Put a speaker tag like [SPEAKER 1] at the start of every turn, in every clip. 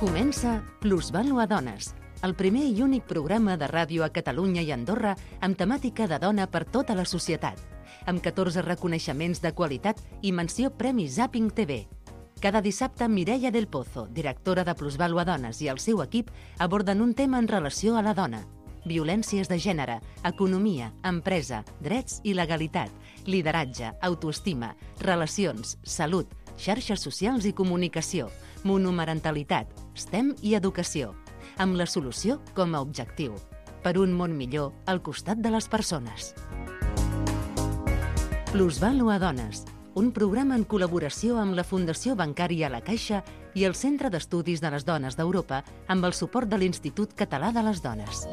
[SPEAKER 1] Comença Plusvàlua Dones, el primer i únic programa de ràdio a Catalunya i Andorra amb temàtica de dona per tota la societat, amb 14 reconeixements de qualitat i menció Premi Zapping TV. Cada dissabte, Mireia del Pozo, directora de Plusvàlua Dones, i el seu equip aborden un tema en relació a la dona. Violències de gènere, economia, empresa, drets i legalitat, lideratge, autoestima, relacions, salut, xarxes socials i comunicació, monomarentalitat, STEM i educació, amb la solució com a objectiu. Per un món millor al costat de les persones. Plusvàlua Dones, un programa en col·laboració amb la Fundació Bancària La Caixa i el Centre d'Estudis de les Dones d'Europa amb el suport de l'Institut Català de les Dones.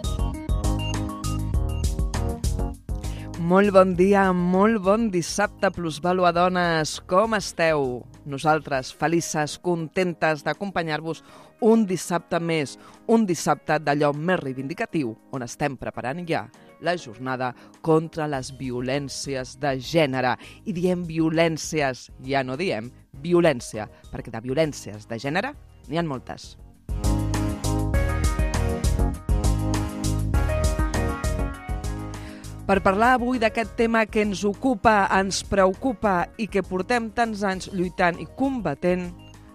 [SPEAKER 2] Molt bon dia, molt bon dissabte, Plusvàlua Dones. Com esteu? Nosaltres, felices, contentes d'acompanyar-vos un dissabte més, un dissabte d'allò més reivindicatiu, on estem preparant ja la jornada contra les violències de gènere. I diem violències, ja no diem violència, perquè de violències de gènere n'hi ha moltes. Per parlar avui d'aquest tema que ens ocupa, ens preocupa i que portem tants anys lluitant i combatent,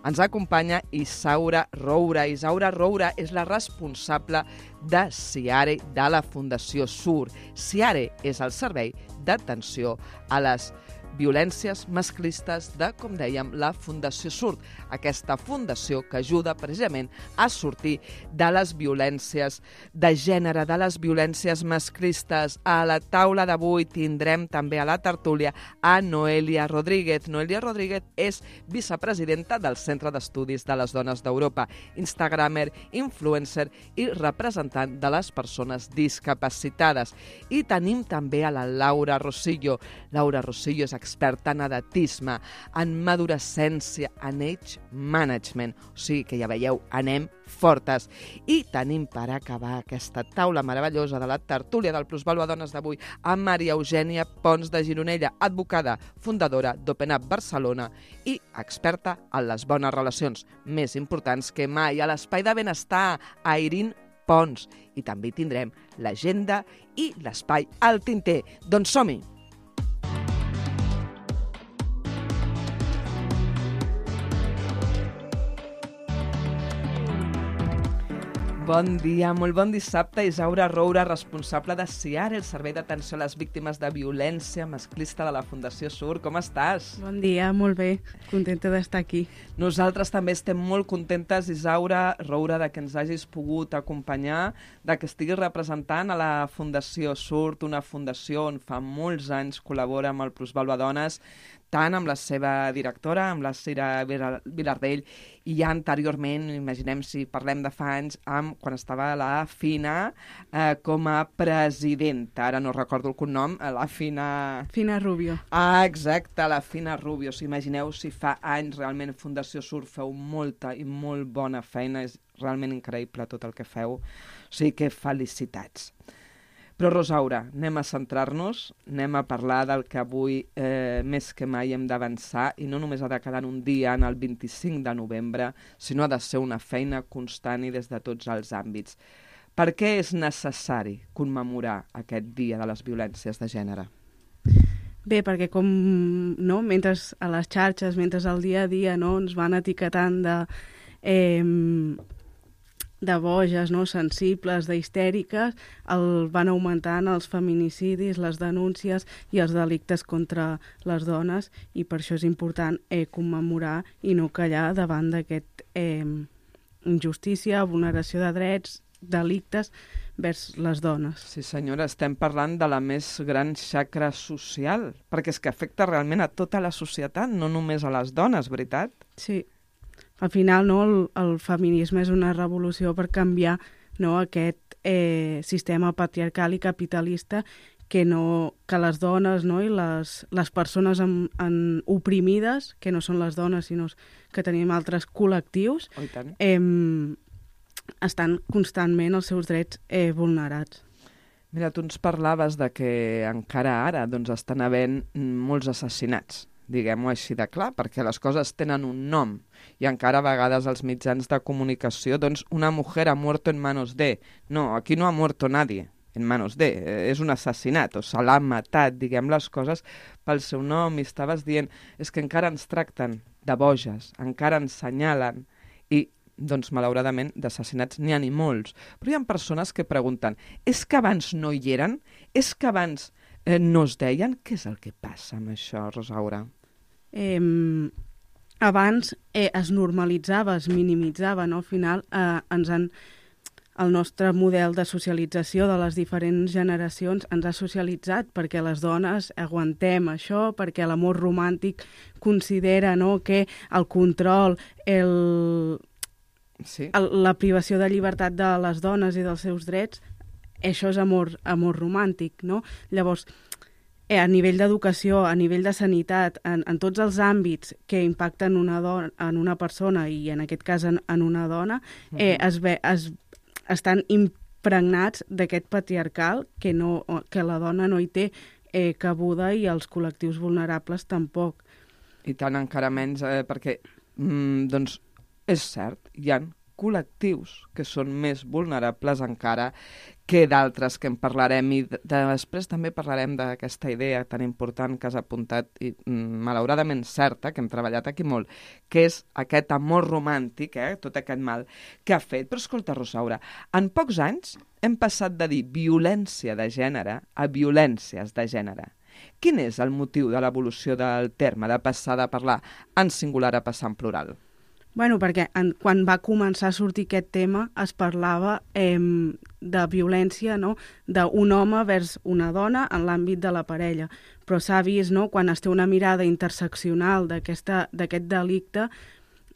[SPEAKER 2] ens acompanya Isaura Roura. Isaura Roura és la responsable de SIARE de la Fundació SUR. SIARE és el servei d'atenció a les violències masclistes de, com dèiem, la Fundació SUR. Aquesta fundació que ajuda precisament a sortir de les violències de gènere, de les violències masclistes. A la taula d'avui tindrem també a la tertúlia a Noelia Rodríguez. Noelia Rodríguez és vicepresidenta del Centre d'Estudis de les Dones d'Europa, instagramer, influencer i representant de les persones discapacitades. I tenim també a la Laura Rosillo. Laura Rosillo és experta en edatisme, en madurescència, en age management. O sigui que ja veieu, anem fortes. I tenim per acabar aquesta taula meravellosa de la tertúlia del Plusvàlua Dones d'avui a Maria Eugènia Pons de Gironella, advocada, fundadora d'Open Up Barcelona i experta en les bones relacions, més importants que mai, a l'Espai de Benestar, a Irene Pons. I també tindrem l'agenda i l'espai al tinter. Doncs som-hi! Bon dia, molt bon dissabte. Isaura Roura, responsable de SIARE, el servei d'atenció a les víctimes de violència masclista de la Fundació SUR. Com estàs?
[SPEAKER 3] Bon dia, molt bé. Contenta d'estar aquí.
[SPEAKER 2] Nosaltres també estem molt contentes, Isaura Roura, de que ens hagis pogut acompanyar, de que estiguis representant a la Fundació SUR, una fundació on fa molts anys col·labora amb el Plusvàlua Dones, tant amb la seva directora, amb la Cira Vilardell, i ja anteriorment, imaginem si parlem de fa anys, quan estava la Fina com a presidenta. Ara no recordo el cognom, la Fina...
[SPEAKER 3] Fina Rubio.
[SPEAKER 2] Ah, exacte, la Fina Rubio. Imagineu si fa anys realment Fundació SUR feu molta i molt bona feina. És realment increïble tot el que feu. O sigui que felicitats. Però, Rosaura, anem a centrar-nos, anem a parlar del que avui més que mai hem d'avançar i no només ha de quedar en un dia, en el 25 de novembre, sinó ha de ser una feina constant i des de tots els àmbits. Per què és necessari commemorar aquest dia de les violències de gènere?
[SPEAKER 3] Bé, perquè com mentre a les xarxes, mentre al dia a dia ens van etiquetant de boges, sensibles, d'histèriques, van augmentant els feminicidis, les denúncies i els delictes contra les dones, i per això és important commemorar i no callar davant d'aquest injustícia, vulneració de drets, delictes vers les dones.
[SPEAKER 2] Sí, senyora, estem parlant de la més gran xacra social, perquè és que afecta realment a tota la societat, no només a les dones, veritat? Sí.
[SPEAKER 3] Al final, el feminisme és una revolució per canviar aquest sistema patriarcal i capitalista que les dones i les persones oprimides, que no són les dones, sinó que tenim altres col·lectius, estan constantment els seus drets vulnerats.
[SPEAKER 2] Mira, tu ens parlaves de que encara ara estan havent molts assassinats diguem-ho així de clar, perquè les coses tenen un nom i encara a vegades els mitjans de comunicació, doncs una mujer ha muerto en manos de. No, aquí no ha muerto nadie en manos de, és un assassinat, o se l'ha matat, diguem les coses pel seu nom, i estaves dient, és que encara ens tracten de boges, encara ens senyalen, i doncs malauradament d'assassinats n'hi ha ni molts. Però hi ha persones que pregunten, és que abans no hi eren? És que abans no es deien? Què és el que passa amb això, Rosaura?
[SPEAKER 3] Abans es normalitzava, es minimitzava, no? Al final el nostre model de socialització de les diferents generacions ens ha socialitzat perquè les dones aguantem això, perquè l'amor romàntic considera, no, que el control, la privació de llibertat de les dones i dels seus drets, això és amor romàntic, no? Llavors, a nivell d'educació, a nivell de sanitat, en tots els àmbits que impacten en una persona i en aquest cas en una dona, estan impregnats d'aquest patriarcal que la dona no hi té cabuda i els col·lectius vulnerables tampoc.
[SPEAKER 2] I tant encara menys, perquè doncs és cert, hi ha col·lectius que són més vulnerables encara que d'altres que en parlarem, i després també parlarem d'aquesta idea tan important que has apuntat i malauradament certa, que hem treballat aquí molt, que és aquest amor romàntic, tot aquest mal que ha fet. Però escolta, Rosaura, en pocs anys hem passat de dir violència de gènere a violències de gènere. Quin és el motiu de l'evolució del terme, de passar de parlar en singular a passar en plural?
[SPEAKER 3] Bueno, perquè quan va començar a sortir aquest tema es parlava de violència, no?, d'un home vers una dona en l'àmbit de la parella. Però s'ha vist, no?, quan es té una mirada interseccional d'aquest delicte,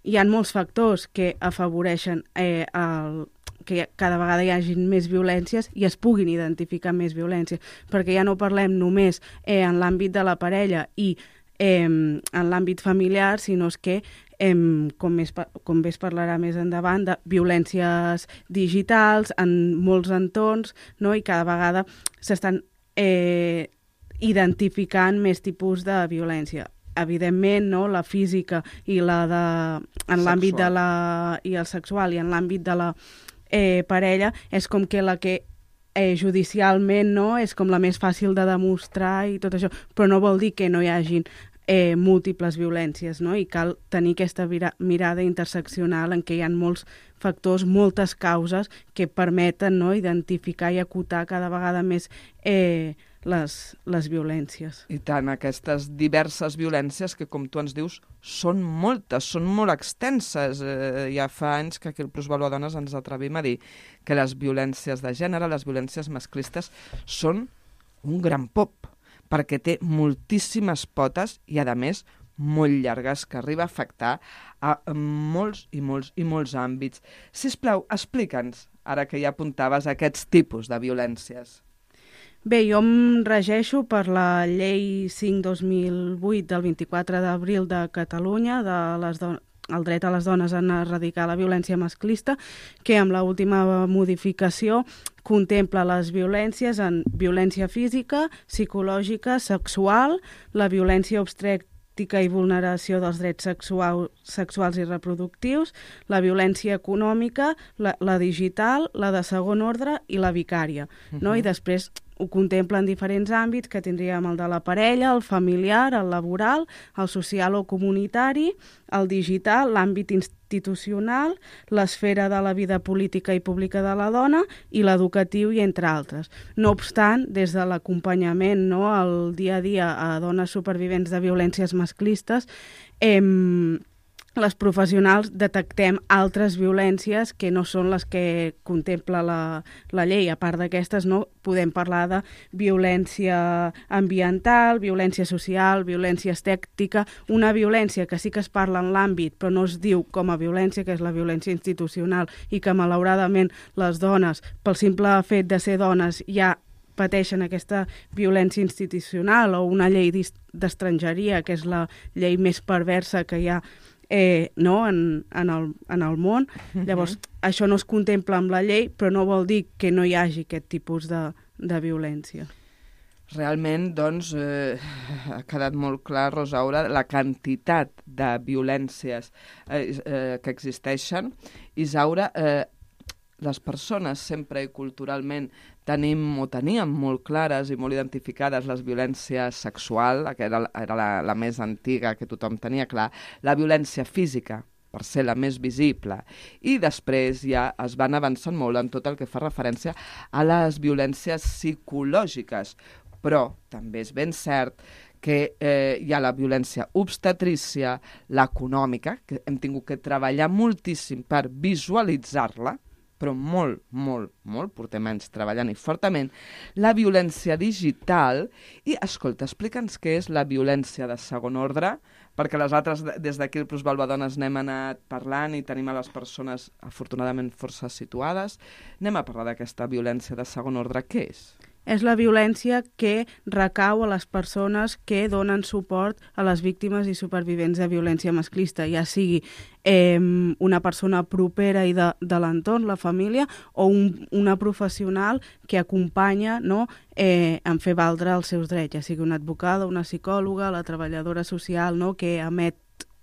[SPEAKER 3] hi ha molts factors que afavoreixen que cada vegada hi hagi més violències i es puguin identificar més violències, perquè ja no parlem només en l'àmbit de la parella i en l'àmbit familiar, sinó que com bé es parlarà més endavant, de violències digitals en molts entorns, no? I cada vegada s'estan identificant més tipus de violència. Evidentment, no? La física i en l'àmbit de i el sexual i en l'àmbit de la parella és com que la que judicialment, no?, és com la més fàcil de demostrar i tot això, però no vol dir que no hi hagin múltiples violències, no? I cal tenir aquesta mirada interseccional en què hi ha molts factors, moltes causes que permeten, no?, identificar i acotar cada vegada més les violències.
[SPEAKER 2] I tant, aquestes diverses violències que, com tu ens dius, són moltes, són molt extenses. Ja fa anys que aquí al Plusvalor Dones ens atrevim a dir que les violències de gènere, les violències masclistes, són un gran pop, perquè té moltíssimes potes i, a més, molt llargues, que arriba a afectar a molts i molts i molts àmbits. Sisplau, explica'ns, ara que ja apuntaves, aquests tipus de violències.
[SPEAKER 3] Bé, jo em regeixo per la Llei 5/2008 del 24 d'abril de Catalunya, el dret a les dones a erradicar la violència masclista, que amb l'última modificació contempla les violències en violència física, psicològica, sexual, la violència obstètrica i vulneració dels drets sexuals i reproductius, la violència econòmica, la digital, la de segon ordre i la vicària, no? I després ho contempla en diferents àmbits, que tindríem el de la parella, el familiar, el laboral, el social o comunitari, el digital, l'àmbit institucional, l'esfera de la vida política i pública de la dona i l'educatiu, i entre altres. No obstant, des de l'acompanyament, no, al dia a dia a dones supervivents de violències masclistes, les professionals detectem altres violències que no són les que contempla la llei. A part d'aquestes, no, podem parlar de violència ambiental, violència social, violència estètica, una violència que sí que es parla en l'àmbit però no es diu com a violència, que és la violència institucional, i que malauradament les dones, pel simple fet de ser dones, ja pateixen aquesta violència institucional, o una llei d'estrangeria, que és la llei més perversa que hi ha no, en el món. Llavors, això no es contempla amb la llei, però no vol dir que no hi hagi aquest tipus de violència.
[SPEAKER 2] Realment, doncs, ha quedat molt clar, Rosaura, la quantitat de violències que existeixen. Isaura, les persones sempre i culturalment teníem molt clares i molt identificades les violències sexual, que era la més antiga, que tothom tenia clar, la violència física, per ser la més visible, i després ja es van avançant molt en tot el que fa referència a les violències psicològiques, però també és ben cert que hi ha la violència obstetrícia, l'econòmica, que hem tingut que treballar moltíssim per visualitzar-la, però molt, portem anys treballant i fortament, la violència digital, i, escolta, explica'ns què és la violència de segon ordre, perquè les altres, des d'aquí el Plus Balbadones n'hem anat parlant i tenim a les persones, afortunadament, força situades. Anem a parlar d'aquesta violència de segon ordre. Què és?
[SPEAKER 3] És la violència que recau a les persones que donen suport a les víctimes i supervivents de violència masclista, ja sigui una persona propera i de l'entorn, la família, o una professional que acompanya, no, en fer valdre els seus drets, ja sigui una advocada, una psicòloga, la treballadora social, no, que emet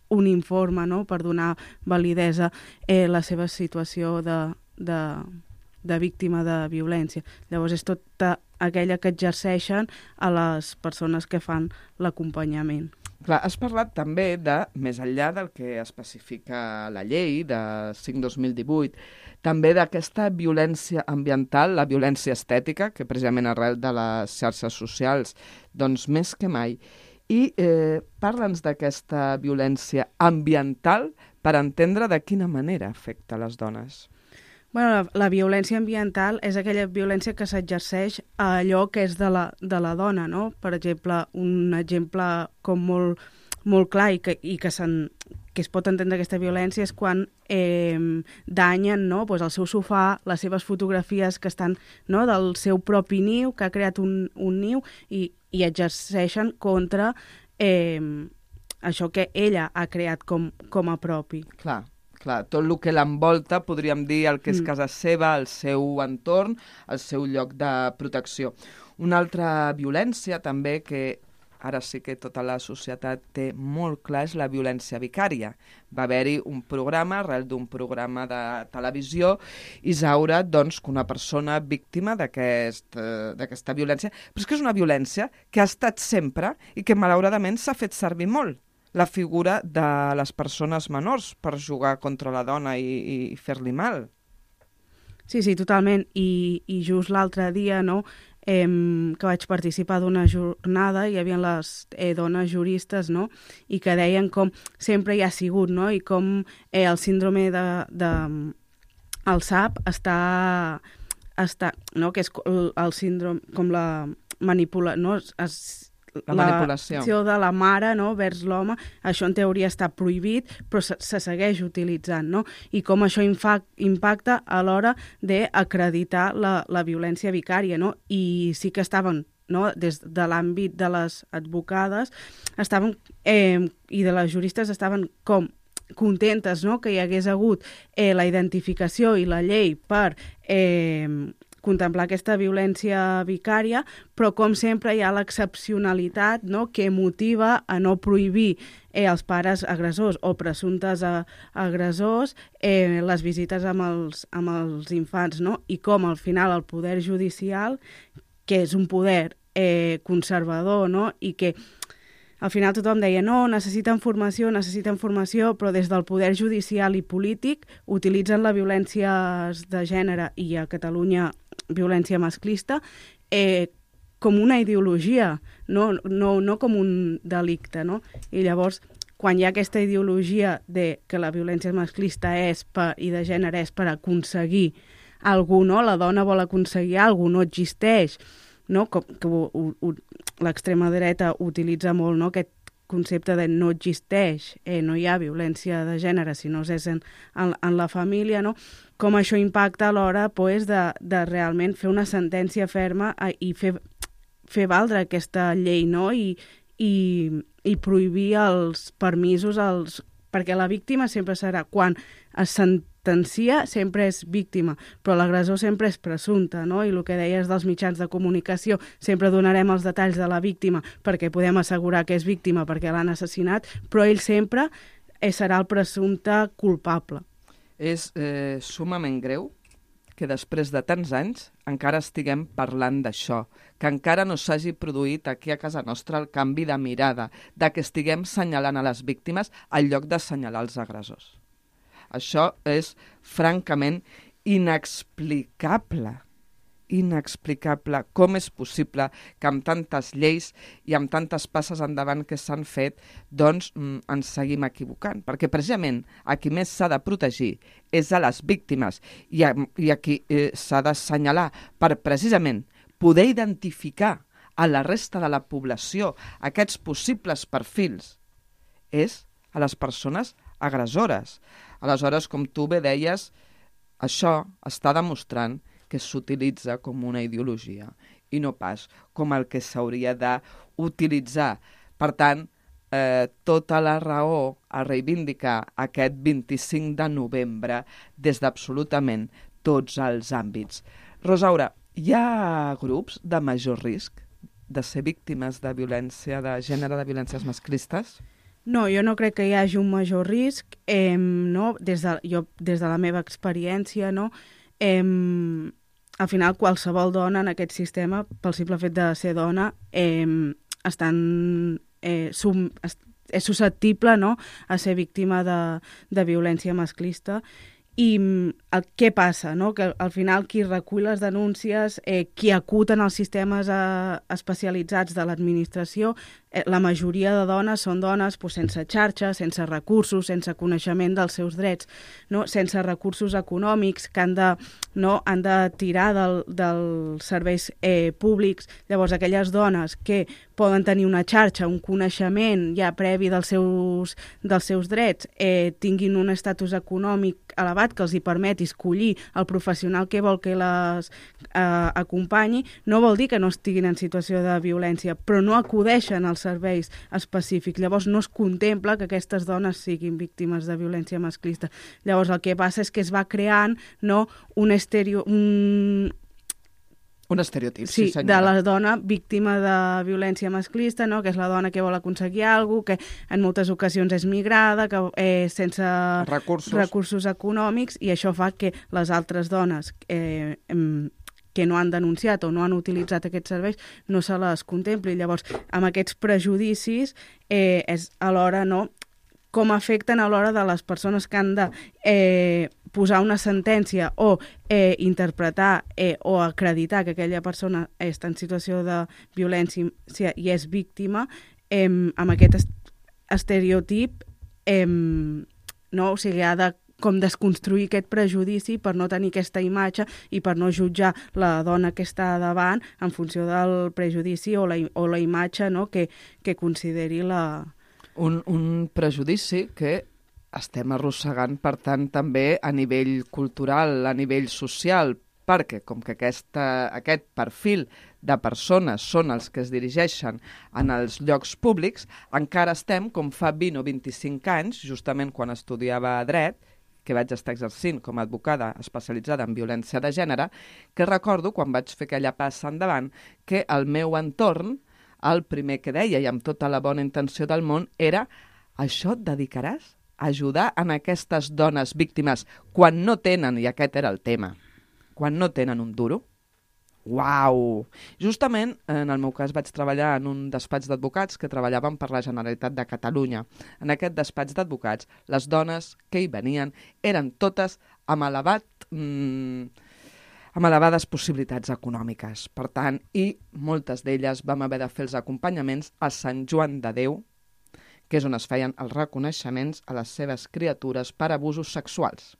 [SPEAKER 3] un informe, no, per donar validesa a la seva situació de víctima de violència. Llavors és tota aquella que exerceixen a les persones que fan l'acompanyament.
[SPEAKER 2] Clar, has parlat també de, més enllà del que especifica la llei de 5/2018, també d'aquesta violència ambiental, la violència estètica, que precisament arrel de les xarxes socials, doncs més que mai. I parla'ns d'aquesta violència ambiental per entendre de quina manera afecta les dones.
[SPEAKER 3] Bueno, la violència ambiental és aquella violència que s'exerceix a allò que és de la dona, no? Per exemple, un exemple com molt clar i que es pot entendre aquesta violència és quan danyen, no, pues, el seu sofà, les seves fotografies que estan, no, del seu propi niu, que ha creat un niu, i exerceixen contra això que ella ha creat com a propi.
[SPEAKER 2] Clar, tot el que l'envolta, podríem dir el que és casa seva, el seu entorn, el seu lloc de protecció. Una altra violència també que ara sí que tota la societat té molt clar és la violència vicària. Va haver-hi un programa, arrel d'un programa de televisió, Isaura, doncs, que una persona víctima d'aquesta violència, però és que és una violència que ha estat sempre i que malauradament s'ha fet servir molt. La figura de les persones menors per jugar contra la dona i fer-li mal.
[SPEAKER 3] Sí, totalment. I just l'altre dia, no, que vaig participar d'una jornada, hi havia les dones juristes, no, i que deien com sempre hi ha sigut, no, i com el síndrome el SAP està no, que és el síndrome, com la manipulació, no,
[SPEAKER 2] la manipulació
[SPEAKER 3] de la mare, no, vers l'home, això en teoria està prohibit, però se segueix utilitzant, no? I com això impacta a l'hora d'acreditar la violència vicària, no? I sí que estaven, no, des de l'àmbit de les advocades, i de les juristes estaven com contentes, no?, que hi hagués hagut la identificació i la llei per contemplar aquesta violència vicària, però com sempre hi ha l'excepcionalitat, no?, que motiva a no prohibir als pares agressors o presumptes agressors les visites amb els infants, no? I com al final el poder judicial, que és un poder conservador, no?, i que al final tothom deia no, necessiten formació, però des del poder judicial i polític utilitzen la violència de gènere i a Catalunya violència masclista com una ideologia, no com un delicte, no? I llavors, quan hi ha aquesta ideologia de que la violència masclista i de gènere és per aconseguir alguna cosa, no? La dona vol aconseguir alguna cosa, no existeix, no? Que l'extrema dreta utilitza molt, no?, aquest concepte de no existeix, no hi ha violència de gènere si no és en la família, no? Com això impacta a l'hora de realment fer una sentència ferma i fer valdre aquesta llei, no? I prohibir els permisos, perquè la víctima sempre serà quan es sentencia sempre és víctima, però l'agressor sempre és presumpte, no? I el que deies dels mitjans de comunicació, sempre donarem els detalls de la víctima perquè podem assegurar que és víctima perquè l'han assassinat, però ell sempre serà el presumpte culpable.
[SPEAKER 2] És sumament greu que després de tants anys encara estiguem parlant d'això, que encara no s'hagi produït aquí a casa nostra el canvi de mirada, de que estiguem senyalant a les víctimes en lloc de senyalar els agressors. Això és francament inexplicable. Inexplicable. Com és possible que amb tantes lleis i amb tantes passes endavant que s'han fet, doncs ens seguim equivocant? Perquè precisament a qui més s'ha de protegir és a les víctimes i a qui s'ha d'assenyalar per precisament poder identificar a la resta de la població aquests possibles perfils és a les persones agressores. Aleshores, com tu bé deies, això està demostrant que s'utilitza com una ideologia i no pas com el que s'hauria d'utilitzar. Per tant, tota la raó a reivindicar aquest 25 de novembre des d'absolutament tots els àmbits. Rosaura, hi ha grups de major risc de ser víctimes de violència de gènere, de violències masclistes?
[SPEAKER 3] No, jo no crec que hi hagi un major risc. No? Des de la meva experiència, no? Al final qualsevol dona en aquest sistema, pel simple fet de ser dona, és susceptible, no?, a ser víctima de violència masclista. I què passa? No? Que al final qui recull les denúncies, qui acuten els sistemes especialitzats de l'administració, la majoria de dones són dones sense xarxa, sense recursos, sense coneixement dels seus drets, no? Sense recursos econòmics que han de tirar dels serveis públics. Llavors, aquelles dones que poden tenir una xarxa, un coneixement ja previ dels seus drets, tinguin un estatus econòmic elevat que els hi permeti escollir el professional que vol que les acompanyi, no vol dir que no estiguin en situació de violència, però no acudeixen als serveis específics. Llavors no es contempla que aquestes dones siguin víctimes de violència masclista. Llavors el que passa és que es va creant, no, un
[SPEAKER 2] estereotip,
[SPEAKER 3] sí, de la dona víctima de violència masclista, no? Que és la dona que vol aconseguir alguna cosa, que en moltes ocasions és migrada, que sense recursos econòmics, i això fa que les altres dones que no han denunciat o no han utilitzat aquests serveis no se les contempli. Llavors, amb aquests prejudicis és alhora, no?, com afecten a l'hora de les persones que han de posar una sentència o interpretar o acreditar que aquella persona està en situació de violència i és víctima, amb aquest estereotip, no? O sigui, ha de com desconstruir aquest prejudici per no tenir aquesta imatge i per no jutjar la dona que està davant en funció del prejudici o la imatge, no?, que consideri la...
[SPEAKER 2] Un prejudici que estem arrossegant, per tant, també a nivell cultural, a nivell social, perquè com que aquest perfil de persones són els que es dirigeixen en els llocs públics, encara estem, com fa 20 o 25 anys, justament quan estudiava dret, que vaig estar exercint com a advocada especialitzada en violència de gènere, que recordo, quan vaig fer aquella passa endavant, que el meu entorn, el primer que deia, i amb tota la bona intenció del món, era: això et dedicaràs a ajudar en aquestes dones víctimes quan no tenen, i aquest era el tema, quan no tenen un duro? Uau! Justament, en el meu cas, vaig treballar en un despatx d'advocats que treballaven per la Generalitat de Catalunya. En aquest despatx d'advocats, les dones que hi venien eren totes amb elevades possibilitats econòmiques. Per tant, i moltes d'elles vam haver de fer els acompanyaments a Sant Joan de Déu, que és on es feien els reconeixements a les seves criatures per abusos sexuals.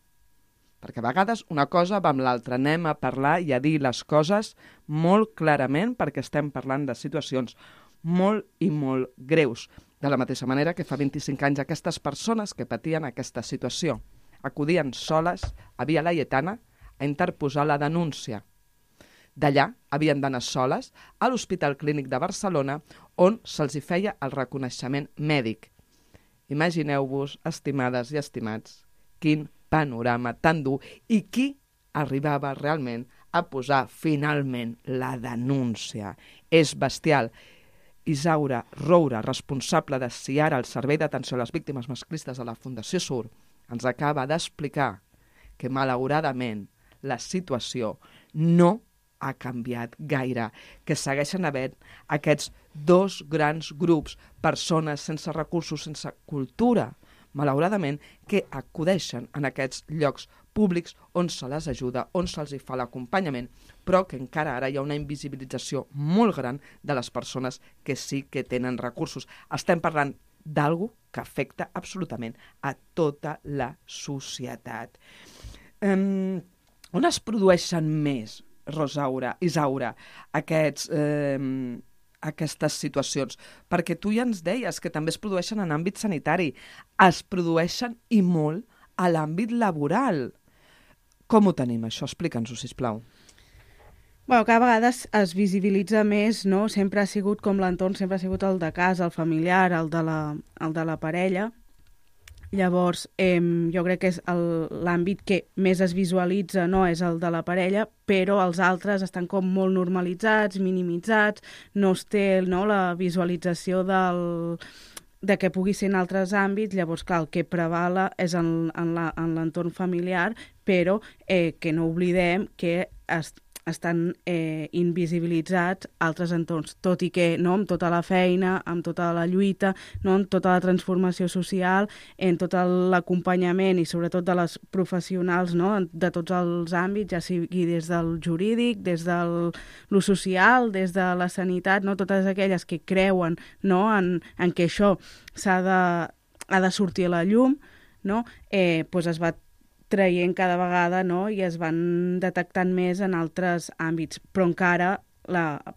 [SPEAKER 2] Perquè a vegades una cosa va amb l'altra, anem a parlar i a dir les coses molt clarament perquè estem parlant de situacions molt i molt greus. De la mateixa manera que fa 25 anys aquestes persones que patien aquesta situació acudien soles a Via Laietana a interposar la denúncia. D'allà havien d'anar soles a l'Hospital Clínic de Barcelona on se'ls hi feia el reconeixement mèdic. Imagineu-vos, estimades i estimats, quin panorama tan dur i qui arribava realment a posar finalment la denúncia. És bestial. Isaura Roura, responsable de SIARA, el Servei d'Atenció a les Víctimes Masclistes de la Fundació SUR, ens acaba d'explicar que malauradament la situació no ha canviat gaire, que segueixen havent aquests dos grans grups, persones sense recursos, sense cultura, malauradament, que acudeixen en aquests llocs públics on se les ajuda, on se'ls hi fa l'acompanyament, però que encara ara hi ha una invisibilització molt gran de les persones que sí que tenen recursos. Estem parlant d'algú que afecta absolutament a tota la societat. On es produeixen més, Isaura, aquestes situacions? Perquè tu ja ens deies que també es produeixen en àmbit sanitari, es produeixen i molt a l'àmbit laboral. Com ho tenim, això? Explica'ns-ho, sisplau.
[SPEAKER 3] Bueno, cada vegada es visibilitza més, no? Sempre ha sigut com l'entorn, sempre ha sigut el de casa, el familiar, el de la parella. Llavors, jo crec que és l'àmbit que més es visualitza, no? És el de la parella, però els altres estan com molt normalitzats, minimitzats, no es té, no, la visualització de què pugui ser en altres àmbits. Llavors, clar, el que prevala és en l'entorn familiar, però que no oblidem que estan invisibilitzats altres entorns, tot i que no, amb tota la feina, amb tota la lluita, no, amb tota la transformació social, en tot l'acompanyament i sobretot de les professionals, no, de tots els àmbits, ja sigui des del jurídic, des de lo social, des de la sanitat, no, totes aquelles que creuen, no, en que això ha de sortir a la llum, no, doncs es va traient cada vegada, no? I es van detectant més en altres àmbits, però encara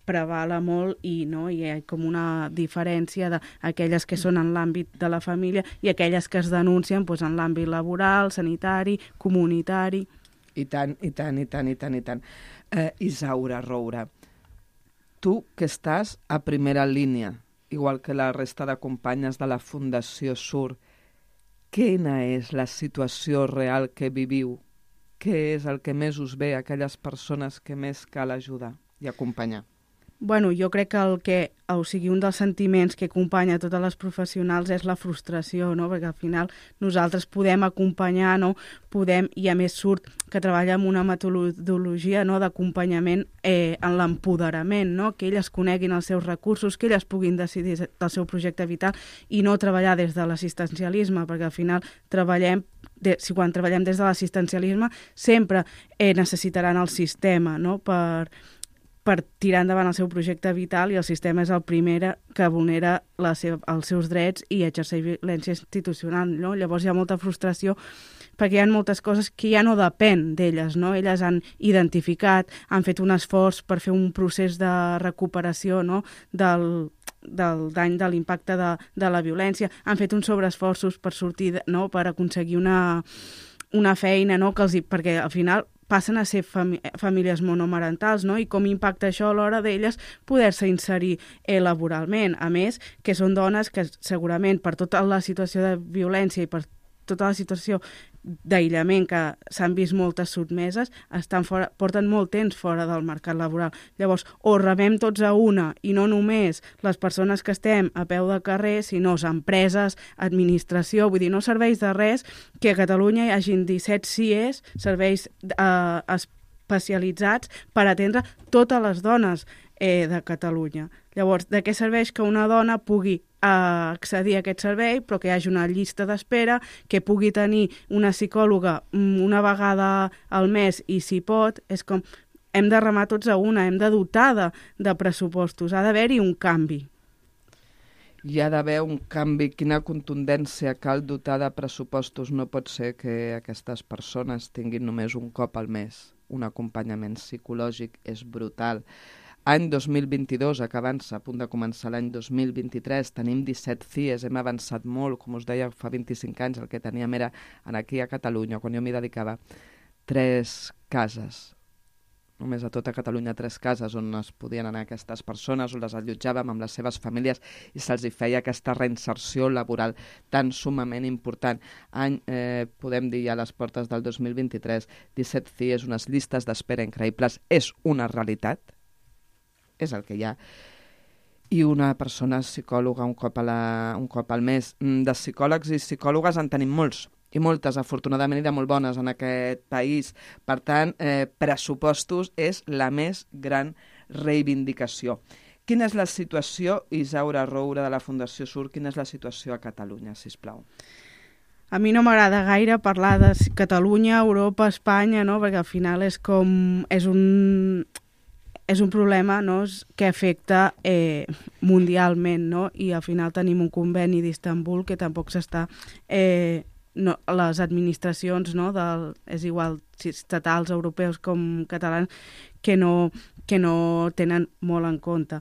[SPEAKER 3] prevala molt i hi ha com una diferència d'aquelles que són en l'àmbit de la família i aquelles que es denuncien doncs, en l'àmbit laboral, sanitari, comunitari.
[SPEAKER 2] I tant. Isaura Roura, tu que estàs a primera línia, igual que la resta de companyes de la Fundació SUR, quina és la situació real que viviu? Què és el que més us ve a aquelles persones que més cal ajudar i acompanyar?
[SPEAKER 3] Bueno, jo crec que un dels sentiments que acompanya totes les professionals és la frustració, no? Perquè al final nosaltres podem acompanyar, no? I a més surt que treballa amb una metodologia, no? D'acompanyament en l'empoderament, no? Que elles coneguin els seus recursos, que elles puguin decidir del seu projecte vital i no treballar des de l'assistencialisme, perquè al final quan treballem des de l'assistencialisme sempre necessitaran el sistema, no? Per tirar endavant el seu projecte vital, i el sistema és el primer que vulnera els seus drets i exerceix violència institucional, no? Llavors hi ha molta frustració perquè hi ha moltes coses que ja no depèn d'elles, no? Elles han identificat, han fet un esforç per fer un procés de recuperació, no? del dany, de l'impacte de la violència, han fet uns sobreesforços per sortir, no? Per aconseguir una feina, no? Perquè al final passen a ser famílies monomarentals, no? I com impacta això a l'hora d'elles poder-se inserir laboralment. A més, que són dones que segurament per tota la situació de violència i per tota la situació d'aïllament que s'han vist moltes sotmeses, porten molt temps fora del mercat laboral. Llavors, o remem tots a una, i no només les persones que estem a peu de carrer, sinó empreses, administració, vull dir, no serveix de res que a Catalunya hi hagin 17 CIEs, serveis especialitzats per atendre totes les dones de Catalunya. Llavors, de què serveix que una dona pugui accedir a aquest servei, però que hi hagi una llista d'espera, que pugui tenir una psicòloga una vegada al mes i si pot, és com hem de remar tots a una, hem de dotar de pressupostos, ha d'haver-hi un canvi.
[SPEAKER 2] Hi ha d'haver un canvi, quina contundència cal dotar de pressupostos. No pot ser que aquestes persones tinguin només un cop al mes. Un acompanyament psicològic és brutal. Any 2022, acabant-se, a punt de començar l'any 2023, tenim 17 CIEs, hem avançat molt, com us deia, fa 25 anys el que teníem era aquí a Catalunya, quan jo m'hi dedicava, 3 cases. només a tota Catalunya 3 cases on es podien anar aquestes persones, on les allotjàvem amb les seves famílies i se'ls hi feia aquesta reinserció laboral tan sumament important. Podem dir ja a les portes del 2023, 17 CIEs, unes llistes d'espera increïbles, és una realitat, és el que hi ha, i una persona psicòloga un cop al mes. De psicòlegs i psicòlogues en tenim molts, i moltes, afortunadament, i de molt bones en aquest país. Per tant, pressupostos és la més gran reivindicació. Quina és la situació, Isaura Roure, de la Fundació SUR, quina és la situació a Catalunya, sisplau?
[SPEAKER 3] A mi no m'agrada gaire parlar de Catalunya, Europa, Espanya, no? Perquè al final és un problema, no? Que afecta mundialment, no? I al final tenim un conveni d'Istanbul que tampoc s'està... les administracions, no? És igual si estatals, europeus com catalans, que no tenen molt en compte.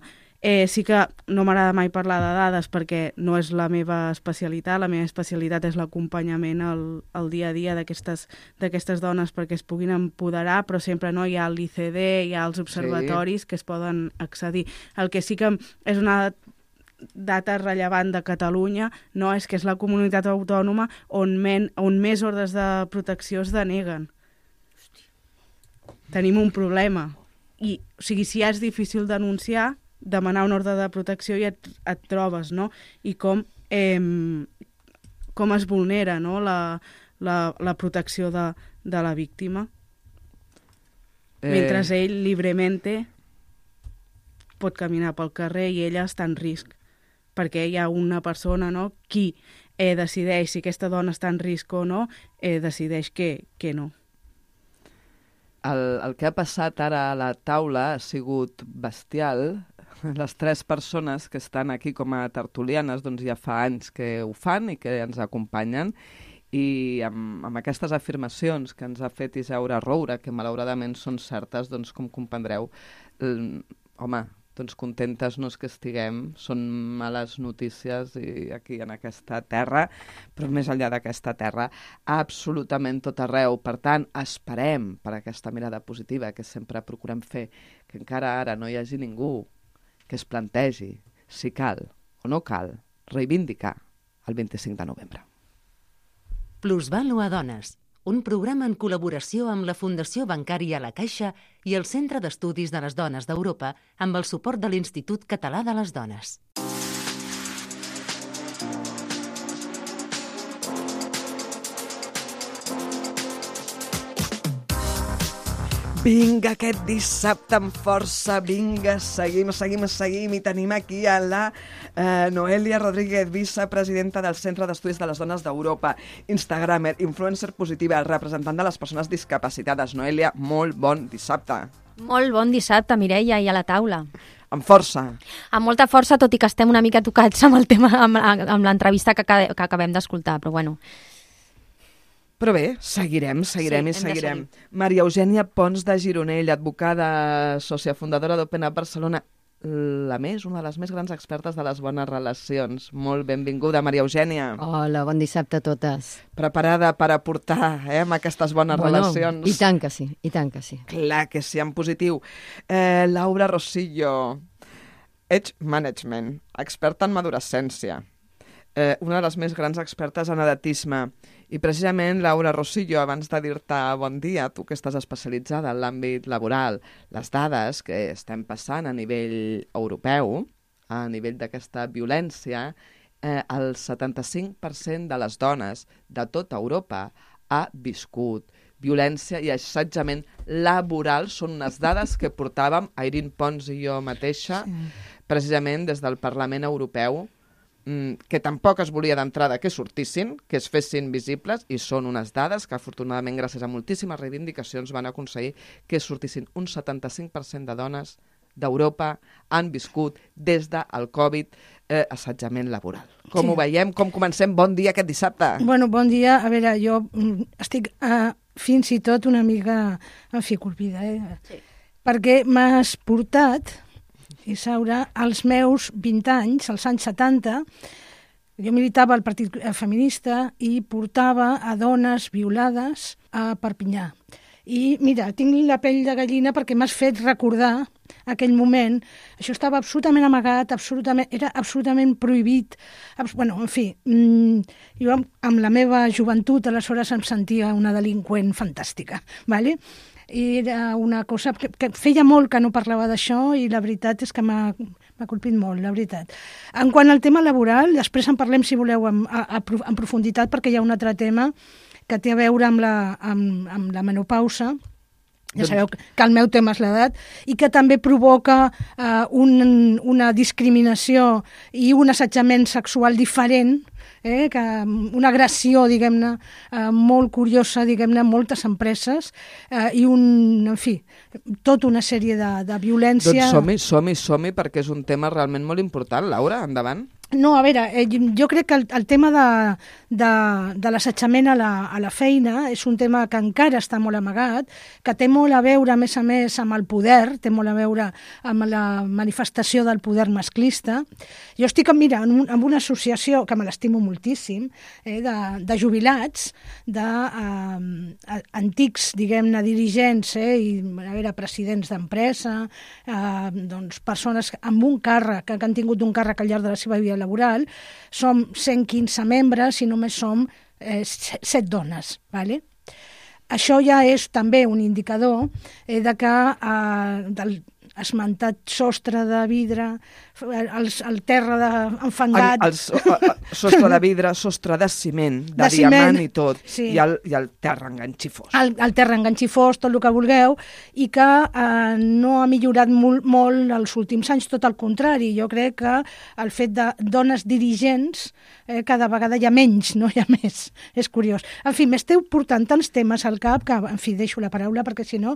[SPEAKER 3] Sí que no m'agrada mai parlar de dades perquè no és la meva especialitat. La meva especialitat és l'acompanyament al dia a dia d'aquestes dones perquè es puguin empoderar, però sempre no hi ha l'ICD, hi ha els observatoris que es poden accedir. El que sí que és una data rellevant de Catalunya, no, és que és la comunitat autònoma on més ordres de protecció es deneguen. Tenim un problema. I, o sigui, si ja és difícil denunciar, demanar una ordre de protecció i et trobes, no? I com es vulnera, no? la protecció de la víctima. Mentre ell, lliurement, pot caminar pel carrer i ella està en risc. Perquè hi ha una persona, no?, qui decideix si aquesta dona està en risc o no, decideix que no.
[SPEAKER 2] El que ha passat ara a la taula ha sigut bestial. Les 3 persones que estan aquí com a tertulianes doncs ja fa anys que ho fan i que ens acompanyen, i amb aquestes afirmacions que ens ha fet Isaura Roure, que malauradament són certes, doncs com comprendreu, home, doncs contentes no és que estiguem, són males notícies i aquí en aquesta terra, però més enllà d'aquesta terra, absolutament tot arreu. Per tant, esperem per aquesta mirada positiva que sempre procurem fer, que encara ara no hi hagi ningú que es plantegi si cal o no cal reivindicar el 25 de novembre.
[SPEAKER 1] Plusvàlua Dones, un programa en col·laboració amb la Fundació Bancària La Caixa i el Centre d'Estudis de les Dones d'Europa amb el suport de l'Institut Català de les Dones.
[SPEAKER 2] Vinga, aquest dissabte amb força, vinga, seguim, i tenim aquí a la Noelia Rodríguez, vicepresidenta del Centre d'Estudis de les Dones d'Europa, instagramer, influencer positiva, representant de les persones discapacitades. Noelia, molt bon dissabte.
[SPEAKER 4] Molt bon dissabte, Mireia, i a la taula.
[SPEAKER 2] Amb força.
[SPEAKER 4] Amb molta força, tot i que estem una mica tocats amb el tema, amb l'entrevista que acabem d'escoltar, però bueno...
[SPEAKER 2] Però bé, seguirem. Maria Eugènia Pons de Gironell, advocada, sòcia fundadora d'Open Up Barcelona, una de les més grans expertes de les bones relacions. Molt benvinguda, Maria Eugènia.
[SPEAKER 5] Hola, bon dissabte a totes.
[SPEAKER 2] Preparada per aportar amb aquestes bones relacions?
[SPEAKER 5] I tant que sí.
[SPEAKER 2] Clar que sí, en positiu. Laura Rosillo, Age Management, experta en madurescència. Una de les més grans expertes en edatisme. I precisament, Laura Rosillo, abans de dir-te bon dia, tu que estàs especialitzada en l'àmbit laboral, les dades que estem passant a nivell europeu, a nivell d'aquesta violència, el 75% de les dones de tota Europa ha viscut violència i assetjament laboral. Són unes dades que portàvem, Irene Pons i jo mateixa, precisament des del Parlament Europeu, que tampoc es volia d'entrada que sortissin, que es fessin visibles, i són unes dades que afortunadament gràcies a moltíssimes reivindicacions van aconseguir que sortissin. Un 75% de dones d'Europa han viscut des del Covid assetjament laboral. Com ho veiem? Com comencem? Bon dia aquest dissabte.
[SPEAKER 6] Bueno, bon dia. A veure, jo estic fins i tot una mica enficorpida, Sí. Perquè m'has portat... Isaura, als meus 20 anys, als anys 70, jo militava al Partit Feminista i portava a dones violades a Perpinyà. I mira, tinc la pell de gallina perquè m'has fet recordar aquell moment. Això estava absolutament amagat, era absolutament prohibit. Bueno, en fi, jo amb la meva joventut aleshores em sentia una delinqüent fantàstica, ¿vale? I era una cosa que feia molt que no parlava d'això i la veritat és que m'ha colpit molt, la veritat. En quant al tema laboral, després en parlem, si voleu, en profunditat, perquè hi ha un altre tema que té a veure amb la menopausa. Ja sabeu que el meu tema és l'edat, i que també provoca una discriminació i un assetjament sexual diferent, que una agressió, diguem-ne, molt curiosa, diguem-ne, en moltes empreses, i en fi, tota una sèrie de violència...
[SPEAKER 2] Doncs som-hi, perquè és un tema realment molt important. Laura, endavant.
[SPEAKER 6] No, a veure, jo crec que el tema de l'assetjament a la feina és un tema que encara està molt amagat, que té molt a veure, a més, amb el poder, té molt a veure amb la manifestació del poder masclista. Jo estic, mira, en una associació que me l'estimo moltíssim, de jubilats, d'antics, diguem-ne, dirigents, i a veure, presidents d'empresa, doncs persones amb un càrrec, que han tingut un càrrec al llarg de la seva vida laboral. Som 115 membres i només som 7 dones. ¿Vale? Això ja és també un indicador de que del esmentat sostre de vidre, el terra enfangat...
[SPEAKER 2] Sostre de vidre, sostre de ciment, de diamant i tot, sí. I el terra enganxifós.
[SPEAKER 6] El terra enganxifós, tot el que vulgueu, i que no ha millorat molt els últims anys, tot el contrari. Jo crec que el fet de dones dirigents cada vegada hi ha menys, no hi ha més. És curiós. En fi, m'esteu portant tants temes al cap que, en fi, deixo la paraula perquè si no...